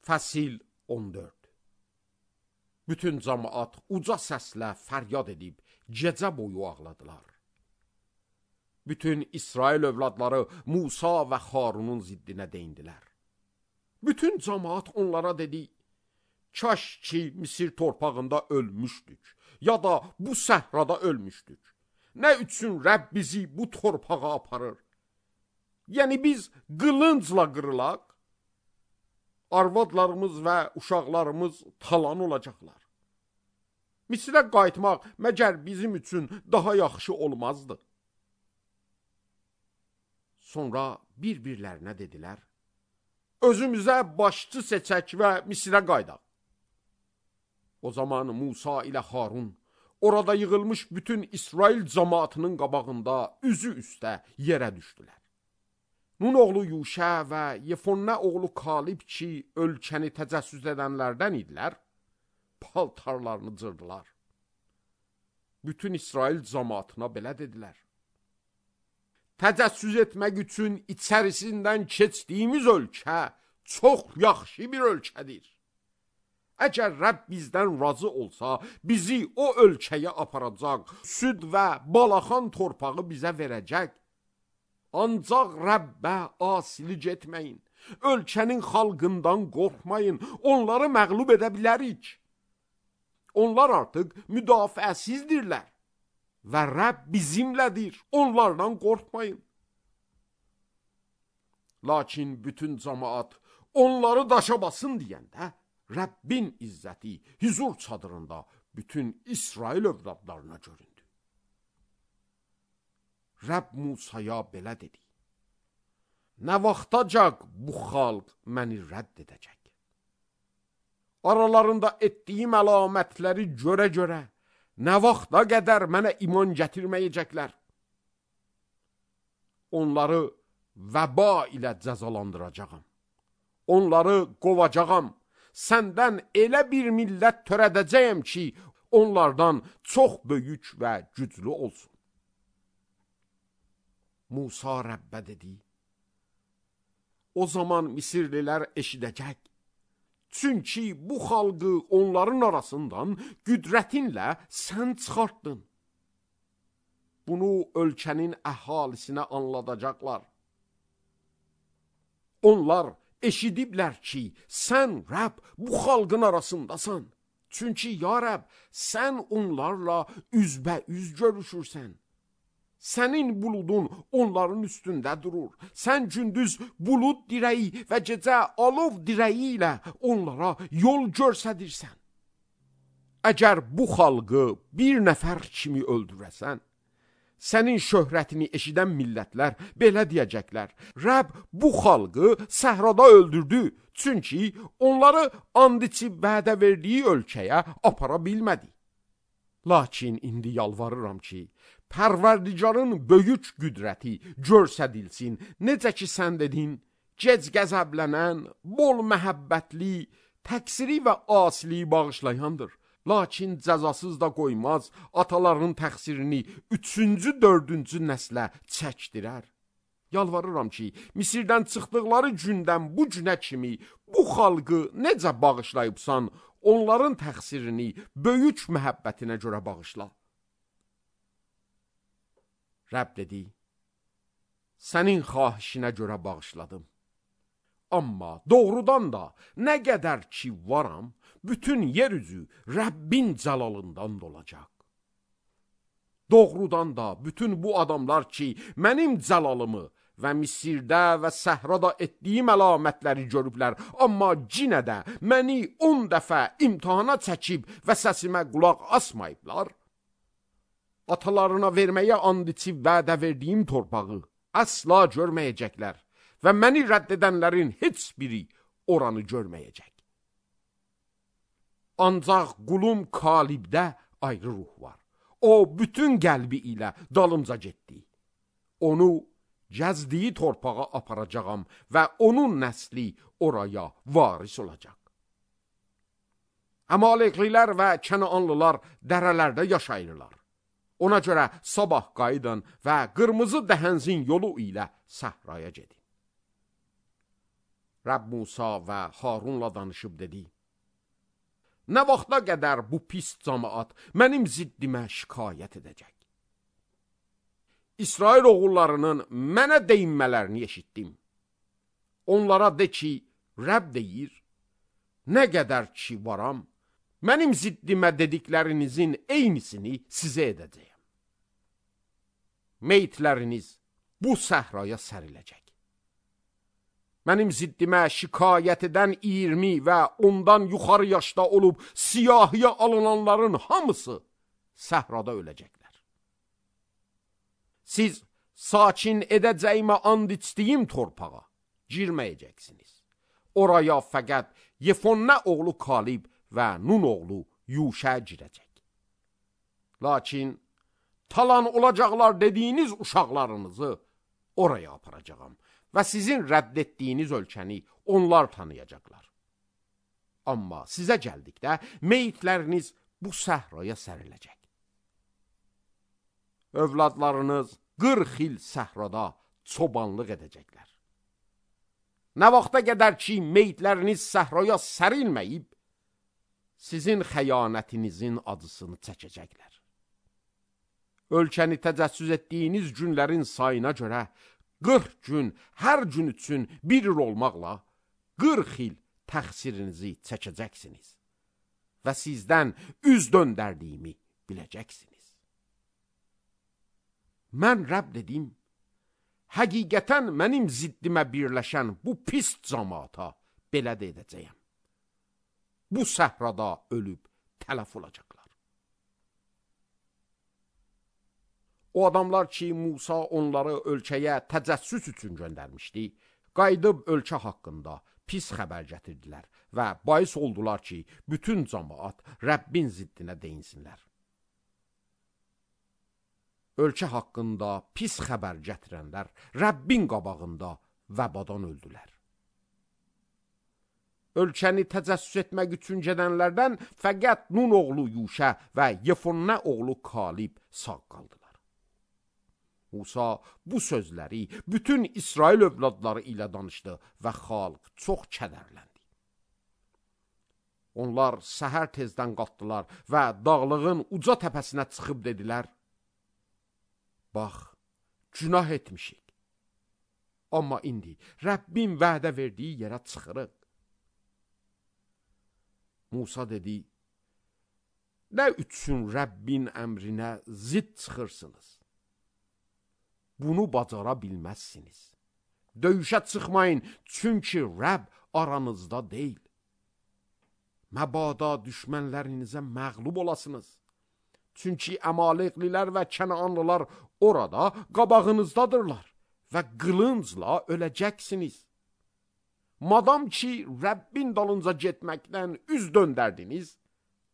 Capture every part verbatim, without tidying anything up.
Fəsil on dörd. Bütün cəmaət uca səslə fəryad edib gecə boyu ağladılar. Bütün İsrail övladları Musa və Harunun ziddinə deyindilər. Bütün cəmaət onlara dedi: "Kaş ki Misir torpağında ölmüşdük, ya da bu səhrada ölmüşdük. Nə üçün Rəbb bizi bu torpağa aparır? Yəni biz qılıncla qırılaq, arvadlarımız və uşaqlarımız talan olacaqlar. Misirə qayıtmaq məgər bizim üçün daha yaxşı olmazdı?" Sonra bir-birlərinə dedilər: "Özümüzə başçı seçək və Misirə qaydaq." O zaman Musa ilə Harun orada yığılmış bütün İsrail cəmaatının qabağında üzü üstə yerə düşdülər. Nun oğlu Yuşə və Yefonnə oğlu Kalib ki, ölkəni təcəssüs edənlərdən idilər, paltarlarını cırdılar. Bütün İsrail cəmaatına belə dedilər: "Təcəssüs etmək üçün içərisindən keçdiyimiz ölkə çox yaxşı bir ölkədir. Əgər Rəbb bizdən razı olsa, bizi o ölkəyə aparacaq, süd və balaxan torpağı bizə verəcək. Ancaq Rəbbə asilik etməyin, ölkənin xalqından qorxmayın, onları məğlub edə bilərik. Onlar artıq müdafiəsizdirlər və Rəbb bizimlədir, onlardan qorxmayın." Lakin bütün cəmaət onları daşa basın deyəndə, Rəbbin izzəti hüzur çadırında bütün İsrail övladlarına göründü. Rəbb Musaya belə dedi: "Nə vaxtacaq bu xalq məni rədd edəcək? Aralarında etdiyim əlamətləri görə-görə nə vaxta qədər mənə iman gətirməyəcəklər? Onları vəba ilə cəzalandıracağam. Onları qovacağam. Səndən elə bir millət törədəcəyəm ki, onlardan çox böyük və güclü olsun." Musa Rəbbə dedi: "O zaman Misirlilər eşidəcək. Çünki bu xalqı onların arasından qüdrətinlə sən çıxartdın. Bunu ölkənin əhalisinə anladacaqlar. Onlar eşidiblər ki, sən Rəbb bu xalqın arasındasan. Çünki ya Rəbb, sən onlarla üzbəüz görüşürsən. Sənin buludun onların üstündə durur. Sən gündüz bulud dirəyi və gecə alov dirəyi ilə onlara yol göstərirsən. Əgər bu xalqı bir nəfər kimi öldürəsən, sənin şöhrətini eşidən millətlər belə deyəcəklər: Rəbb bu xalqı səhrada öldürdü, çünki onları and içib vədə verdiyi ölkəyə apara bilmədi. Lakin indi yalvarıram ki, Pərverdigarın böyük qüdrəti göstərilsin. Necə ki sən dedin, gec qəzəblənən, bol məhəbbətli, təqsiri və asiliyi bağışlayandır. Lakin cəzasız da qoymaz, ataların təqsirini üçüncü, dördüncü nəslə çəkdirər. Yalvarıram ki, Misirdən çıxdıqları gündən bu günə kimi bu xalqı necə bağışlayıbsan, onların təqsirini böyük məhəbbətinə görə bağışla." Rəbb dedi: "Sənin xahişinə görə bağışladım. Amma doğrudan da nə qədər ki varam, bütün yer üzü Rəbbin cəlalından dolacaq. Doğrudan da bütün bu adamlar ki, mənim cəlalımı və Misirdə və səhrada etdiyim əlamətləri görüblər, amma cinə də məni on dəfə imtihana çəkib və səsimə qulaq asmayıblar. Atalarına verməyə and içib vədə verdiyim torpağı əsla görməyəcəklər və məni rədd edənlərin heç biri oranı görməyəcək. Ancaq qulum Kalibdə ayrı ruh var. O bütün qəlbi ilə dalımca getdi. Onu gəzdiyi torpağa aparacağam və onun nəsli oraya varis olacaq. Əmaleklilər və Kənaanlılar dərələrdə yaşayırlar. Ona görə sabah qayıdın və qırmızı dəhənzin yolu ilə səhraya gedin." Rəbb Musa və Harunla danışıb dedi: Nə vaxta qədər bu pis cəmaət mənim ziddimə şikayət edəcək? İsrail oğullarının mənə deyinmələrini eşitdim. Onlara de ki, Rəbb deyir, nə qədər ki varam, mənim ziddimə dediklərinizin eynisini sizə edəcəyəm. Meyitləriniz bu səhraya səriləcək. Mənim ziddimə şikayət edən iyirmi və ondan yuxarı yaşda olub siyahıya alınanların hamısı səhrada öləcəklər. Siz sakin edəcəyimə and içdiyim torpağa girməyəcəksiniz. Oraya fəqət Yefonnə oğlu Kalib və Nun oğlu Yuşə girəcək. Lakin talan olacaqlar dediyiniz uşaqlarınızı oraya aparacağam və sizin rədd etdiyiniz ölkəni onlar tanıyacaqlar. Amma sizə gəldikdə meyitləriniz bu səhraya səriləcək. Övladlarınız qırx il səhrada çobanlıq edəcəklər. Nə vaxta qədər ki meyitləriniz səhraya sərilməyib, sizin xəyanətinizin acısını çəkəcəklər. Ölkəni təcəssüs etdiyiniz günlərin sayına görə qırx gün hər gün üçün bir il olmaqla qırx il təqsirinizi çəkəcəksiniz və sizdən üz döndərdiyimi biləcəksiniz. Mən Rəbb dedim, həqiqətən mənim ziddimə birləşən bu pis cəmaata belə də edəcəyəm. Bu səhrada ölüb tələf olacaqlar. O adamlar ki, Musa onları ölkəyə təcəssüs üçün göndərmişdi, qayıdıb ölkə haqqında pis xəbər gətirdilər və bais oldular ki, bütün cəmaat Rəbbin ziddinə deyinsinlər. Ölkə haqqında pis xəbər gətirənlər Rəbbin qabağında vəbadan öldülər. Ölkəni təcəssüs etmək üçün gedənlərdən fəqət Nun oğlu Yuşə və Yefonnə oğlu Kalib sağ qaldılar. Musa bu sözləri bütün İsrail övladları ilə danışdı və xalq çox kədərləndi. Onlar səhər tezdən qalxdılar və dağlığın uca təpəsinə çıxıb dedilər: Bax, günah etmişik. Amma indi Rəbbin vədə verdiyi yerə çıxırıq. Musa dedi: Nə üçün Rəbbin əmrinə zidd çıxırsınız? Bunu bacara bilməzsiniz. Döyüşə çıxmayın, çünki Rəbb aranızda deyil. Məbada düşmənlərinizə məğlub olasınız. Çünki Əmaleqlilər və Kənaanlılar orada qabağınızdadırlar və qılıncla öləcəksiniz. Madam ki, Rəbbin dalınca getməkdən üz döndərdiniz,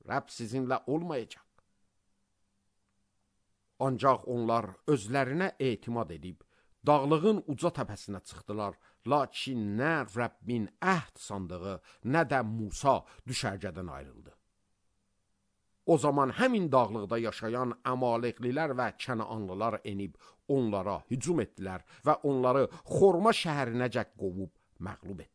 Rəbb sizinlə olmayacaq. Ancaq onlar özlərinə etimad edib, dağlığın uca təpəsinə çıxdılar, lakin nə Rəbbin əhd sandığı, nə də Musa düşərgədən ayrıldı. O zaman həmin dağlıqda yaşayan Əmaleqlilər və Kənaanlılar enib onlara hücum etdilər və onları Xorma şəhərinəcək qovub məğlub etdilər.